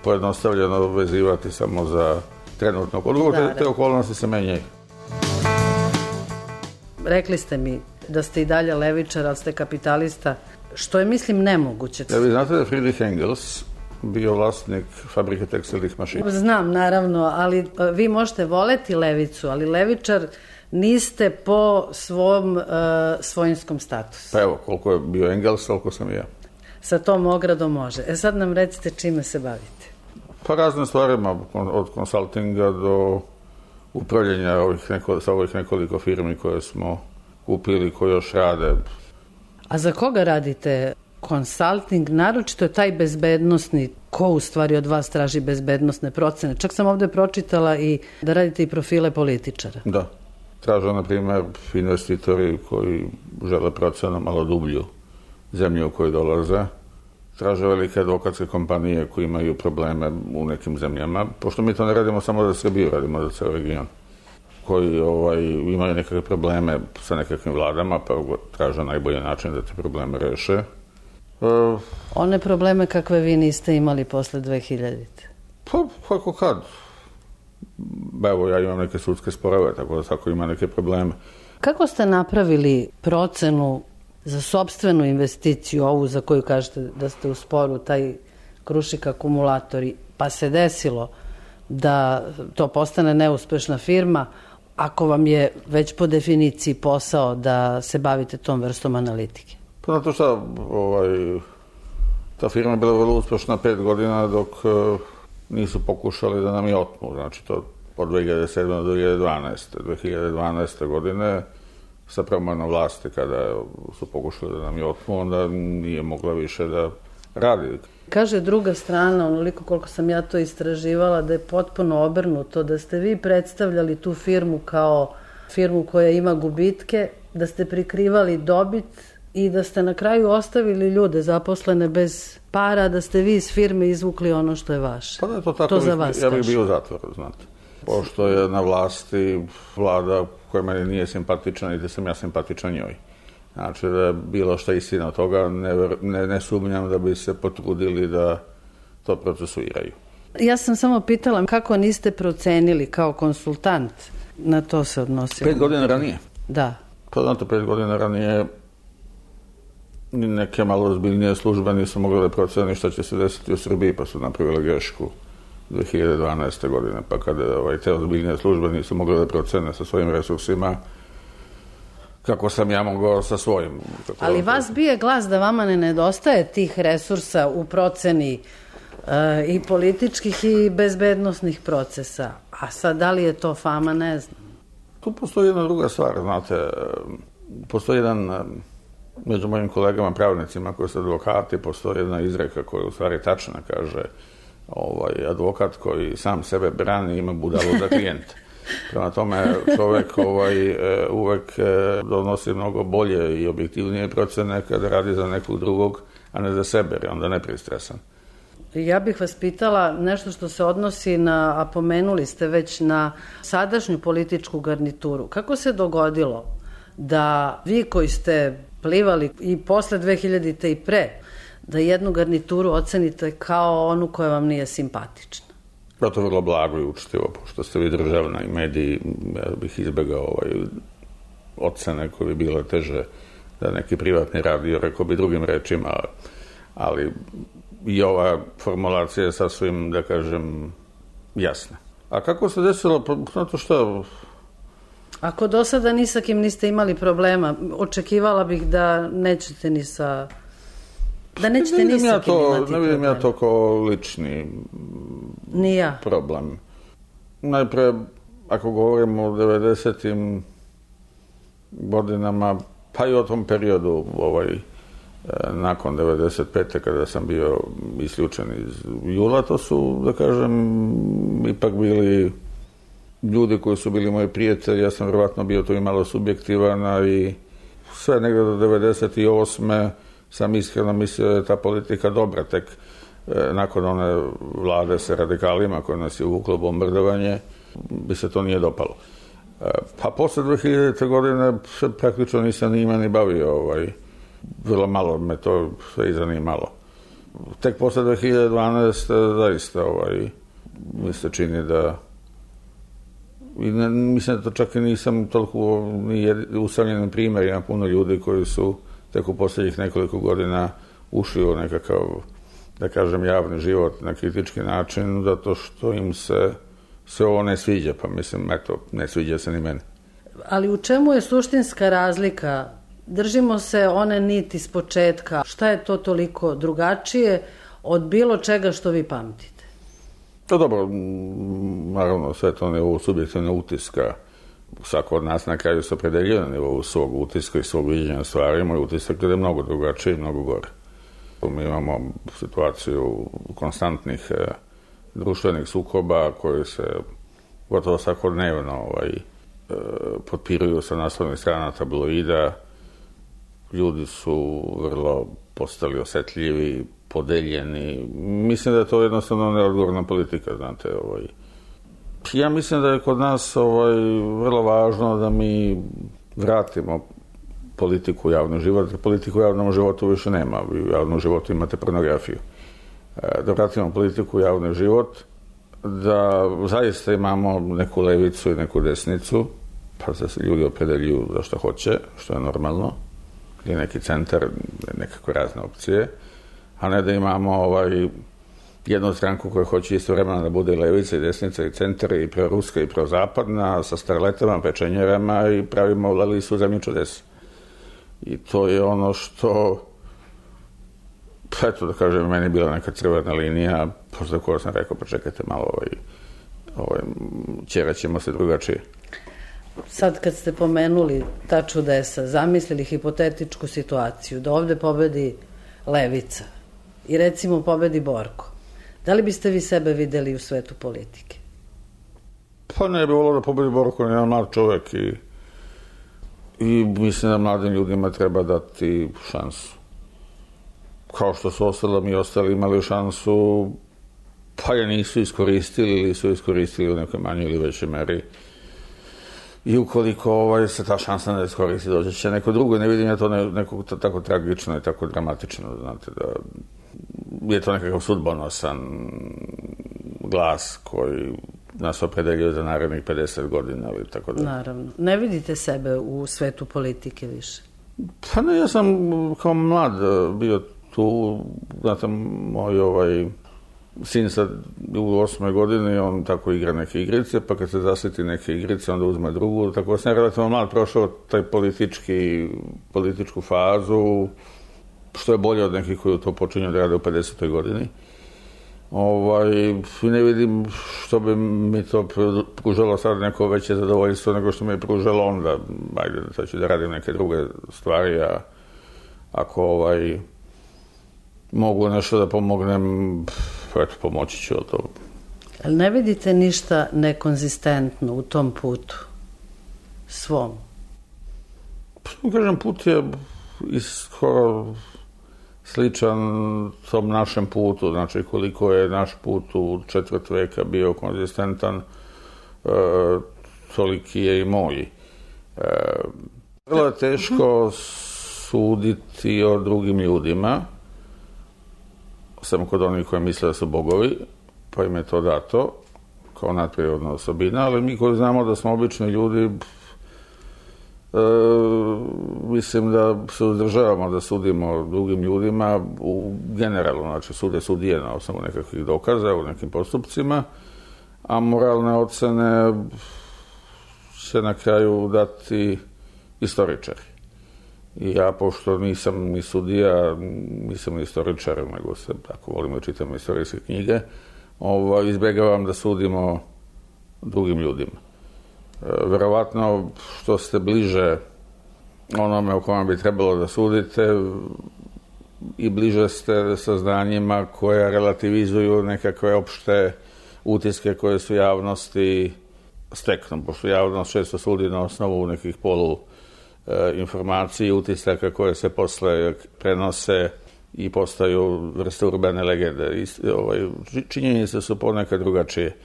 pojednostavljeno vezivati samo za trenutnog odgovor. Te okolnosti se menjaju. Rekli ste mi da ste i dalje levičar, ali ste kapitalista, što je, mislim, nemoguće. Ja, vi znate da Friedrich Engels bio vlasnik fabrike tekstilnih mašina. Znam, naravno, ali vi možete voleti levicu, ali levičar niste po svom svojinskom statusu. Pa evo, koliko je bio Engels, toliko sam i ja. Sa tom ogradom može. Sad nam recite čime se bavite. Pa razne stvarima, od konsultinga do upravljanja sa ovih nekoliko firmi koje smo kupili, koje još rade. A za koga radite konsulting? Naročito je taj bezbednosni. Ko u stvari od vas traži bezbednosne procene? Čak sam ovde pročitala i da radite i profile političara. Da. Traže, na primjer, investitori koji žele procenu malo dublju zemlju u kojoj dolaze. Traže velike advokatske kompanije koji imaju probleme u nekim zemljama, pošto mi to ne radimo samo za Srbiju, radimo za ceo region, koji imaju nekakve probleme sa nekakvim vladama, pa traže najbolji način da te probleme reše. One probleme kakve vi niste imali posle 2000-te? Pa, kako kad. Evo, ja imam neke sudske sporove, tako da svako ima neke probleme. Kako ste napravili procenu za sopstvenu investiciju, ovu za koju kažete da ste u sporu, taj Krušik akumulatori, pa se desilo da to postane neuspešna firma, ako vam je već po definiciji posao da se bavite tom vrstom analitike? Pa zato šta, ta firma je bila vrlo uspešna 5 godina dok nisu pokušali da nam je otmu. Znači to od 2007. do 2012. 2012. godine sa promenom vlasti kada su pokušali da nam je otmu, onda nije mogla više da radi. Kaže druga strana, onoliko koliko sam ja to istraživala, da je potpuno obrnuto, da ste vi predstavljali tu firmu kao firmu koja ima gubitke, da ste prikrivali dobit i da ste na kraju ostavili ljude zaposlene bez para, da ste vi iz firme izvukli ono što je vaše. Pa da je to tako, ja bih bio u zatvoru, znate. Pošto je na vlasti vlada koja meni nije simpatična i da sam ja simpatičan njoj. Znači da je bilo šta istina od toga, ne sumnjam da bi se potrudili da to procesuiraju. Ja sam samo pitala kako niste procenili kao konsultant, na to se odnosilo. 5 godina ranije? Da. Pa znate, 5 godina ranije neke malo ozbiljnije službe nisu mogli da proceni šta će se desiti u Srbiji, pa su napravili grešku 2012. godine, pa kada te ozbiljnije službe nisu mogli da procene sa svojim resursima, kako sam ja mogao sa svojim. Ali vas bije glas da vama ne nedostaje tih resursa u proceni i političkih i bezbednosnih procesa. A sad, da li je to fama, ne znam. Tu postoji jedna druga stvar, znate, postoji jedan, među mojim kolegama pravnicima koji su advokati, postoji jedna izreka koja u stvari tačna, kaže, advokat koji sam sebe brani ima budalu za klijenta. Prema tome, čovek uvek donosi mnogo bolje i objektivnije procene kada radi za nekog drugog, a ne za sebe, jer je onda nepristresan. Ja bih vas pitala nešto što se odnosi na, a pomenuli ste već, na sadašnju političku garnituru. Kako se dogodilo da vi koji ste plivali i posle 2000-te i pre, da jednu garnituru ocenite kao onu koja vam nije simpatična? Da, to je vrlo blago i učitivo, pošto ste vi državna i mediji, ja bih izbegao ocene koje bi bile teže da neki privatni radio, rekao bi drugim rečima, ali i ova formulacija je sasvim, da kažem, jasna. A kako se desilo? Pa, znate šta? Ako do sada ni sa kim niste imali problema, očekivala bih da nećete ni sa... Da nećete ni sa kim imati problema. Ne vidim ja to kao lični problem. Najpre, ako govorimo o 90-im godinama, pa i o tom periodu, nakon 95. kada sam bio isključen iz Jula, to su, da kažem, ipak bili ljudi koji su bili moji prijatelji. Ja sam vjerovatno bio tu i malo subjektivan, i sve negde do 98. sam iskreno mislio da je ta politika dobra, tek nakon one vlade sa radikalima koje nas je uvuklo bombardovanje, bi se to nije dopalo. Pa posle 2000. godine praktično nisam njima ni bavio, vrlo malo me to sve i zanimalo. Tek posle 2012. zaista mi se čini da, i mislim da to čak i nisam toliko usamljeni primjer, ima puno ljudi koji su tek u posljednjih nekoliko godina ušli u nekakav da kažem, javni život na kritički način, zato što im se ovo ne sviđa, pa mislim, eto, ne sviđa se ni meni. Ali u čemu je suštinska razlika? Držimo se one niti s početka. Šta je to toliko drugačije od bilo čega što vi pamtite? To dobro, naravno, sve to nivou subjektivne utiska. Svako od nas na kraju se opredeljuje na nivou svog utiska i svog viđenja stvari. Moj utisak je mnogo drugačiji i mnogo gore. Mi imamo situaciju konstantnih društvenih sukoba koji se gotovo svakodnevno potpiruju sa naslovnih strana tabloida. Ljudi su vrlo postali osetljivi, podeljeni. Mislim da je to jednostavno neodgovorna politika, znate. Ja mislim da je kod nas vrlo važno da mi vratimo politiku u javni život. Politiku u javnom životu više nema. Vi u javnom životu imate pornografiju. Da vratimo politiku u javni život, da zaista imamo neku levicu i neku desnicu, pa da se ljudi opredeljuju za što hoće, što je normalno, ili neki centar, nekakve razne opcije, a ne da imamo jednu stranku koja hoće istovremeno da bude i levica i desnica i centar i proruska i prozapadna, sa starletama, pečenjerama i pravimo listu zemlju čudesa. I to je ono što, eto da kažem, meni je bila neka crvena linija, posle koja sam rekao, pa čekajte malo, ćeraćemo se drugačije. Sad kad ste pomenuli ta čudesa, zamislili hipotetičku situaciju, da ovde pobedi levica i recimo pobedi Borko, da li biste vi sebe videli u svetu politike? Pa ne bi volio da pobedi Borko, on je jedan mlad čovek i mislim da mladim ljudima treba dati šansu. Kao što su ostali imali šansu, pa je nisu iskoristili ili su iskoristili u nekoj manjoj ili većoj meri. I ukoliko se ta šansa ne iskoristi, dođe će neko drugo. Ne vidim ja to neko tako tragično i tako dramatično, znate, da je to nekakav sudbonosan glas koji nas opredeljuje za narednih 50 godina ili tako da. Naravno. Ne vidite sebe u svetu politike više? Pa ne, ja sam kao mlad bio tu, znate, moj sin sad u 8. godini, on tako igra neke igrice, pa kad se zasjeti neke igrice, onda uzme drugu, tako da sam relativno mlad prošao taj političku fazu, što je bolje od nekih koji to počinju da rade u 50. godini. Ne vidim što bi mi to pružalo sad neko veće zadovoljstvo nego što mi je pružalo onda. Ajde, sad ću da radim neke druge stvari, a ako mogu nešto da pomognem, eto, pomoći ću od toga. Ali ne vidite ništa nekonzistentno u tom putu svom? Kažem, put je skoro sličan tom našem putu, znači koliko je naš put u četvrt veka bio konzistentan, toliki je i moj. Vrlo je teško suditi o drugim ljudima, samo kod onih koji misle da su bogovi, pa im je to dato kao nadprirodna osobina, ali mi koji znamo da smo obični ljudi, mislim da se uzdržavamo da sudimo drugim ljudima generalno, znači sude sudije na osnovu nekakvih dokaza u nekim postupcima, a moralne ocene će na kraju dati istoričari. I ja, pošto nisam ni sudija, nisam ni istoričar, nego se tako volim da čitam istorijske knjige, izbegavam da sudimo drugim ljudima. Verovatno što ste bliže onome o kome bi trebalo da sudite i bliže ste saznanjima koja relativizuju nekakve opšte utiske koje su javnosti steknu, pošto javnost često sudi na osnovu nekih informacije i utisaka koje se posle prenose i postaju vrste urbane legende. Činjenice su ponekad drugačije.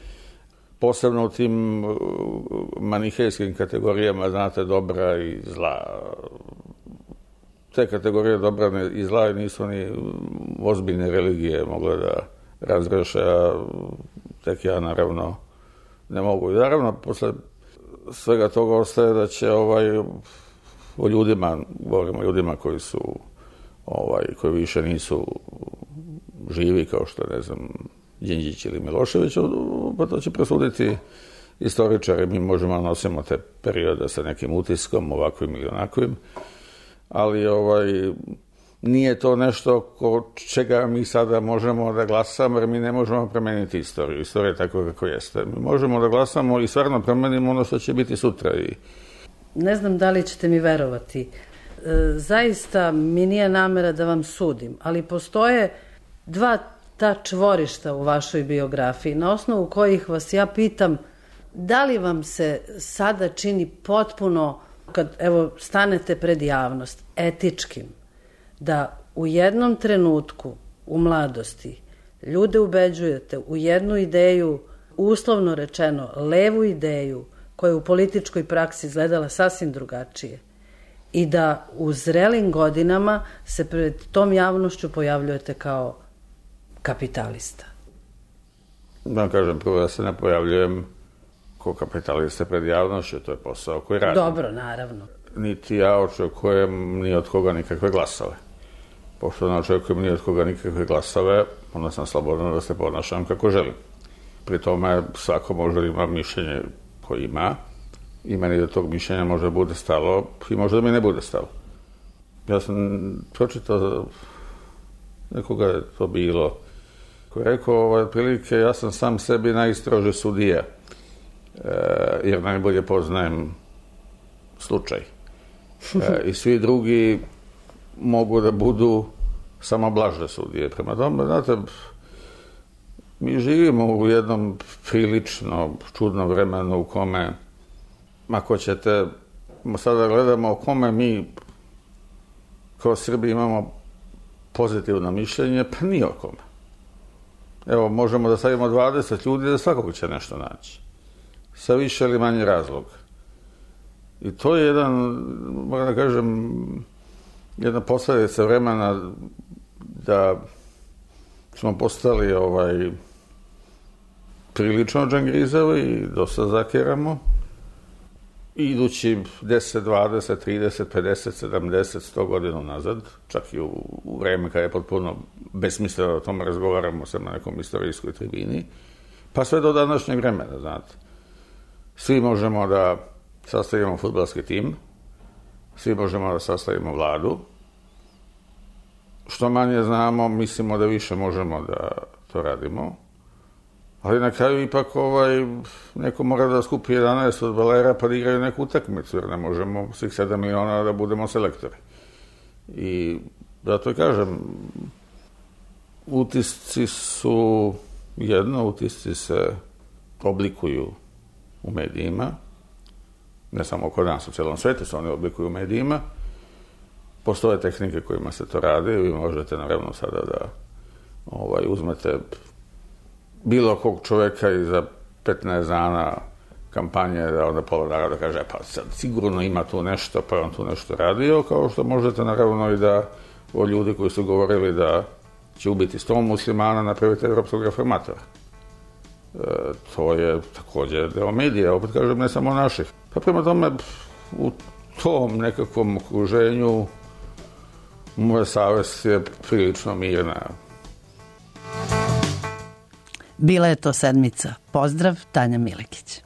Posebno u tim manihejskim kategorijama, znate, dobra i zla. Te kategorije dobra i zla nisu ni ozbiljne religije mogle da razreše, a tek ja naravno ne mogu. I naravno, posle svega toga ostaje da će o ljudima, govorimo o ljudima koji su, koji više nisu živi kao što je, ne znam, Đinđić ili Milošević, pa to će prosuditi istoričari. Mi možemo nosimo te periode sa nekim utiskom, ovakvim ili onakvim, ali nije to nešto ko čega mi sada možemo da glasamo, jer mi ne možemo promeniti istoriju. Istorija je tako kako jeste. Mi možemo da glasamo i stvarno promenimo ono što će biti sutra. Ne znam da li ćete mi verovati. Zaista mi nije namera da vam sudim, ali postoje dva ta čvorišta u vašoj biografiji, na osnovu kojih vas ja pitam da li vam se sada čini potpuno, kad evo stanete pred javnost, etičkim, da u jednom trenutku u mladosti ljude ubeđujete u jednu ideju, uslovno rečeno levu ideju, koja je u političkoj praksi izgledala sasvim drugačije, i da u zrelim godinama se pred tom javnošću pojavljujete kao kapitalista. Da kažem, prvo da se ne pojavljujem kao kapitalista pred javnošću, to je posao koji radim. Dobro, naravno. Niti ja očekujem ni od koga nikakve glasove. Pošto ne očekujem ni od koga nikakve glasove, onda sam slobodan da se ponašam kako želim. Pri tome svako može da ima mišljenje koje ima, i meni da tog mišljenja može da bude stalo i može da mi ne bude stalo. Ja sam pročitao, nekoga je to bilo, koji je rekao, otprilike, ja sam sam sebi najstroži sudija, jer najbolje poznajem slučaj. I svi drugi mogu da budu samo blaže sudije. Prema tome, znate, mi živimo u jednom prilično čudnom vremenu u kome, ako ćete, sada gledamo o kome mi kao Srbi imamo pozitivno mišljenje, pa ni o kome. Evo, možemo da stavimo 20 ljudi, da svakog će nešto naći. Sa više ili manje razloga. I to je jedan, moram da kažem, jedna posledica vremena da smo postali prilično džangrizavi i dosta zakiramo. I idući 10, 20, 30, 50, 70, 100 godina nazad, čak i u vreme kada je potpuno besmisleno da o tome razgovaramo sa na nekom istorijskoj tribini, pa sve do današnjeg vremena, znate. Svi možemo da sastavimo fudbalski tim, svi možemo da sastavimo vladu. Što manje znamo, mislimo da više možemo da to radimo. Ali na kraju ipak neko mora da skupi 11 fudbalera pa da igraju neku utakmicu, jer ne možemo svih 7 miliona da budemo selektori. I zato i kažem, utisci su jedno, utisci se oblikuju u medijima, ne samo kod nas, u celom svetu se oni oblikuju u medijima. Postoje tehnike kojima se to radi, vi možete naravno sada da uzmete bilo kog čoveka i za 15 dana kampanje da onda pola naroda kaže pa sad sigurno ima tu nešto, pa on tu nešto radio, kao što možete naravno i da o ljudi koji su govorili da će ubiti 100 muslimana napraviti evropskog reformatora. To je takođe deo medija, opet kažem, ne samo naših. Pa prema tome, u tom nekakvom okruženju moja savest je prilično mirna. Bila je to sedmica. Pozdrav, Tanja Milekić.